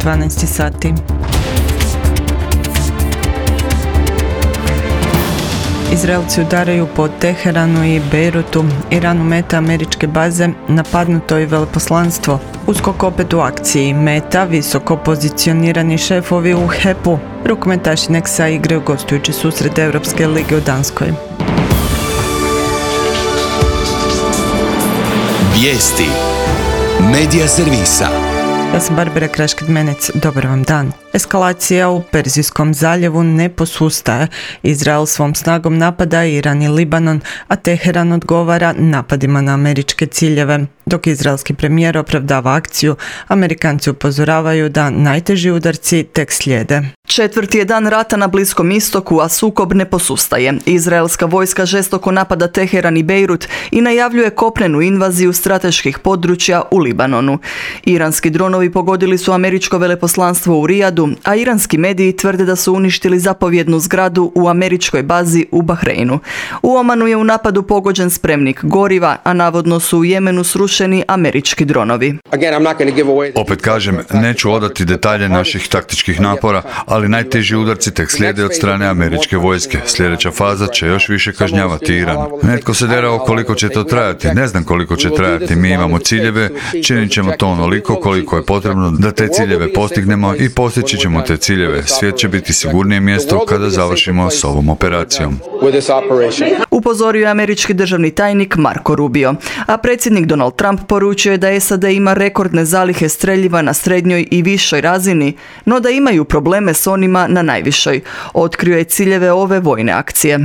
12 sati. Izraelci udaraju po Teheranu i Bejrutu, Iranu meta američke baze, napadnuto i veleposlanstvo. USKOK opet u akciji, meta visoko pozicionirani šefovi u HEP-u. Rukometaši Nexa igraju gostujući susret Europske lige u Danskoj. Vijesti Medija servisa. Ja sam Barbara Kraškid-Menec, dobar vam dan. Eskalacija u Perzijskom zaljevu ne posustaje. Izrael svom snagom napada Iran i Libanon, a Teheran odgovara napadima na američke ciljeve. Dok izraelski premijer opravdava akciju, Amerikanci upozoravaju da najteži udarci tek slijede. Četvrti je dan rata na Bliskom istoku, a sukob ne posustaje. Izraelska vojska žestoko napada Teheran i Bejrut i najavljuje kopnenu invaziju strateških područja u Libanonu. Iranski dronovi pogodili su američko veleposlanstvo u Rijadu, a iranski mediji tvrde da su uništili zapovjednu zgradu u američkoj bazi u Bahreinu. U Omanu je u napadu pogođen spremnik goriva, a navodno su u Jemenu srušeni američki dronovi. Opet kažem, neću odati detalje naših taktičkih napora, ali najteži udarci tek slijede od strane američke vojske. Sljedeća faza će još više kažnjavati Iran. Netko se derao koliko će to trajati. Ne znam koliko će trajati. Mi imamo ciljeve, činit ćemo to onoliko koliko je potrebno da te ciljeve postignemo i postići ćemo te ciljeve. Svijet će biti sigurnije mjesto kada završimo s ovom operacijom. Upozorio je američki državni tajnik Marco Rubio, a predsjednik Donald Trump poručio je da SAD ima rekordne zalihe streljiva na srednjoj i višoj razini, no da imaju probleme s onima na najvišoj. Otkrio je ciljeve ove vojne akcije.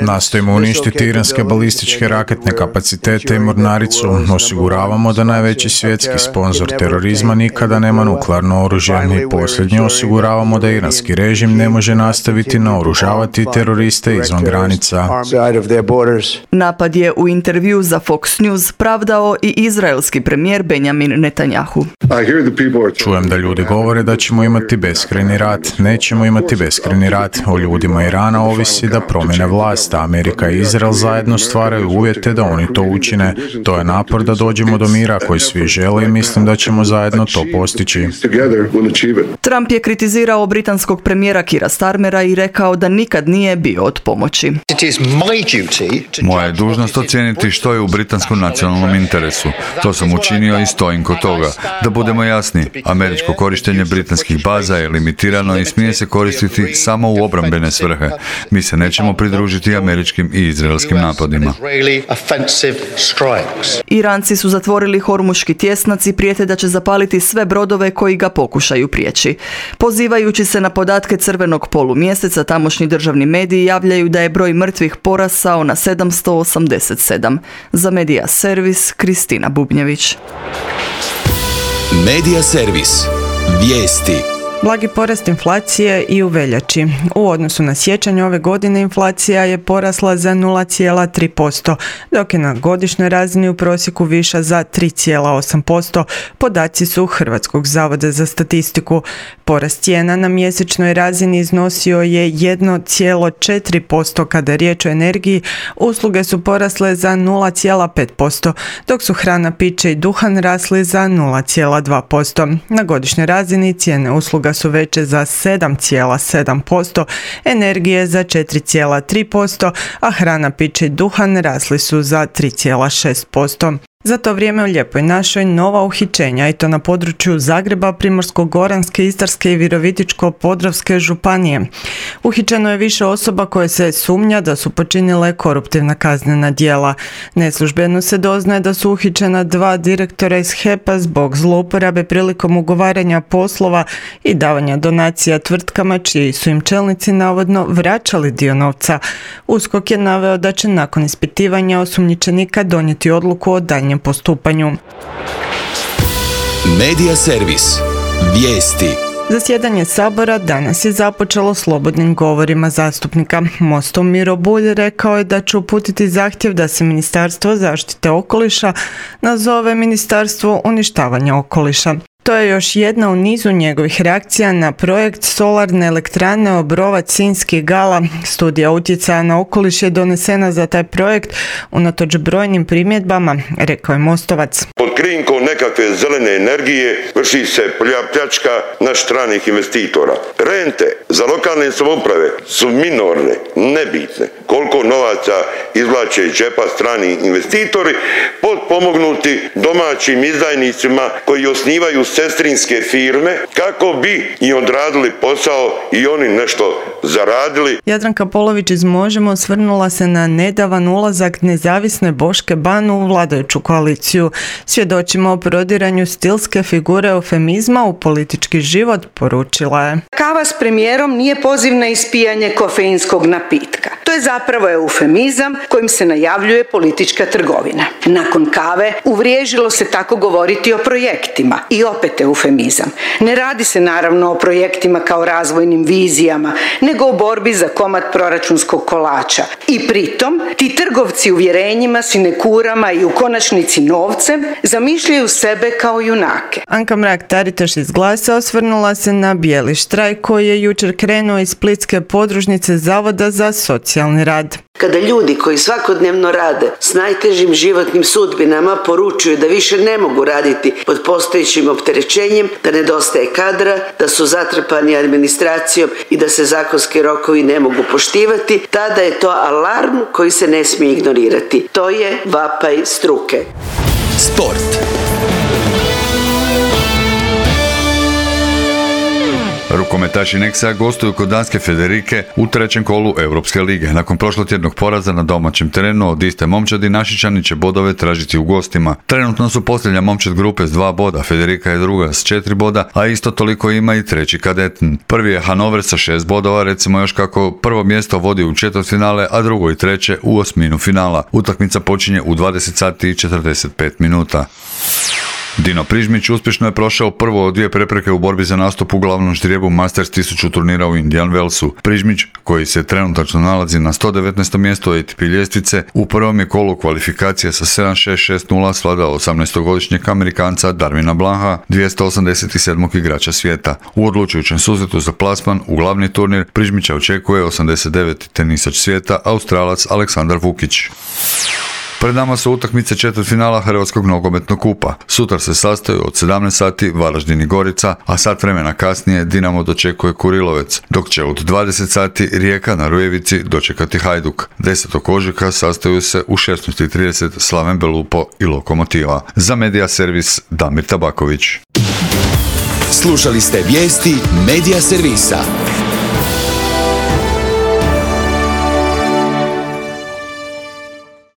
Nastojimo uništiti iranske balističke raketne kapacitete i mornaricu. Osiguravamo da najveći svjetski sponzor terorizma nikada nema nuklearno oružje. I posljednje osiguravamo da iranski režim ne može nastaviti naoružavati teroriste izvan granica. Napad je u intervju za Fox News pravdao i izraelski premijer Benjamin Netanyahu. Čujem da ljudi govore da ćemo imati beskrajni rat. Nećemo imati beskrajni rat. O ljudima Irana ovisi da promjene vlast. Amerika i Izrael zajedno stvaraju uvjete da oni to učine. To je napor da dođemo do mira koji svi žele i mislim da ćemo zajedno to postići. Trump je kritizirao britanskog premijera Keira Starmera i rekao da nikad nije bio od pomoći. Moja je dužnost ocijeniti što je u britanskom nacionalnom interesu. To sam učinio i stojim kod toga. Da budemo jasni, američko korištenje britanskih baza je limitirano i smije se koristiti samo u obrambene svrhe. Mi se nećemo pridružiti američkim i izraelskim napadima. Iranci su zatvorili Hormuški tjesnac i prijete da će zapaliti sve brodove koji ga pokušaju prijeći. Pozivajući se na podatke crvenog polumjeseca, tamošnji državni mediji javljaju da je broj mrtvih porasao na 787. Za Medija servis, Kristina Bubnjević. Medija servis. Vijesti. Blagi porast inflacije i u veljači. U odnosu na siječanj ove godine inflacija je porasla za 0,3%, dok je na godišnjoj razini u prosjeku viša za 3,8%. Podaci su Hrvatskog zavoda za statistiku. Porast cijena na mjesečnoj razini iznosio je 1,4% kada je riječ o energiji, usluge su porasle za 0,5%, dok su hrana, piće i duhan rasli za 0,2%. Na godišnjoj razini cijene usluga su veće za 7,7%, energije za 4,3%, a hrana, piće i duhan rasli su za 3,6%. Za to vrijeme u Lijepoj našoj nova uhićenja, i to na području Zagreba, Primorsko-goranske, Istarske i Virovitičko-podravske županije. Uhićeno je više osoba koje se sumnja da su počinile koruptivna kaznena djela. Neslužbeno se doznaje da su uhićena 2 direktora iz HEP-a zbog zlouporabe prilikom ugovaranja poslova i davanja donacija tvrtkama čiji su im čelnici navodno vraćali dio novca. USKOK je naveo da će nakon ispitivanja osumnjičenika donijeti odluku o daljnjem postupanju. Medija servis. Vijesti. Zasjedanje Sabora danas je započelo slobodnim govorima zastupnika. Mostov Miro Bulj rekao je da će uputiti zahtjev da se Ministarstvo zaštite okoliša nazove Ministarstvo uništavanja okoliša. To je još jedna u nizu njegovih reakcija na projekt solarne elektrane Obrovac Sinjski Gala. Studija utjecaja na okoliš je donesena za taj projekt unatoč brojnim primjedbama, rekao je Mostovac. Pod krinkom nekakve zelene energije vrši se pljačka naših stranih investitora. Rente za lokalne samouprave su minorne, nebitne. Koliko novaca izvlače iz džepa strani investitori, potpomognuti domaćim izdajnicima koji osnivaju sestrinske firme kako bi i odradili posao i oni nešto zaradili. Jadranka Polović iz Možemo osvrnula se na nedavan ulazak nezavisne Boške Ban u vladajuću koaliciju. Svjedočimo o prodiranju stilske figure eufemizma u politički život, poručila je. Kava s premijerom nije poziv na ispijanje kofeinskog napitka. To je zapravo eufemizam kojim se najavljuje politička trgovina. Nakon kave uvriježilo se tako govoriti o projektima i opet eufemizam. Ne radi se naravno o projektima kao razvojnim vizijama, nego o borbi za komad proračunskog kolača. I pritom ti trgovci uvjerenjima, sinekurama i u konačnici novcem zamišljaju sebe kao junake. Anka Mrak-Taritaš iz Glasa osvrnula se na bijeli štrajk koji je jučer krenuo iz splitske podružnice Zavoda za socijalni rad. Kada ljudi koji svakodnevno rade s najtežim životnim sudbinama poručuju da više ne mogu raditi pod postojećim opterećenjem, da nedostaje kadra, da su zatrpani administracijom i da se zakonski rokovi ne mogu poštivati, tada je to alarm koji se ne smije ignorirati. To je vapaj struke. Sport. Rukometaši Nexa gostuju kod danske Federike u trećem kolu Europske lige. Nakon prošlotjednog poraza na domaćem terenu od iste momčadi, Našičani će bodove tražiti u gostima. Trenutno su posljednja momčad grupe s 2 boda, Federika je druga s 4 boda, a isto toliko ima i treći Kadeten. Prvi je Hanover sa 6 bodova, recimo još kako prvo mjesto vodi u četvrtfinale, a drugo i treće u osminu finala. Utakmica počinje u 20 sati i 45 minuta. Dino Prižmić uspješno je prošao prvo od 2 prepreke u borbi za nastup u glavnom ždrijebu Masters 1000 turnira u Indian Wellsu. Prižmić, koji se trenutačno nalazi na 119. mjestu ATP ljestvice, u prvom je kolu kvalifikacije sa 7-6-6-0 svladao 18-godišnjeg Amerikanca Darwina Blanca, 287. igrača svijeta. U odlučujućem susretu za plasman u glavni turnir Prižmića očekuje 89. tenisač svijeta Australac Aleksandar Vukić. Pred nama su utakmice četvrtfinala Hrvatskog nogometnog kupa. Sutra se sastaju od 17 sati Varaždin i Gorica, a sat vremena kasnije Dinamo dočekuje Kurilovec, dok će od 20 sati Rijeka na Rujevici dočekati Hajduk. 10. ožujka sastaju se u 16:30 Slaven Belupo i Lokomotiva. Za Medija Servis Damir Tabaković. Slušali ste vijesti Medija Servisa.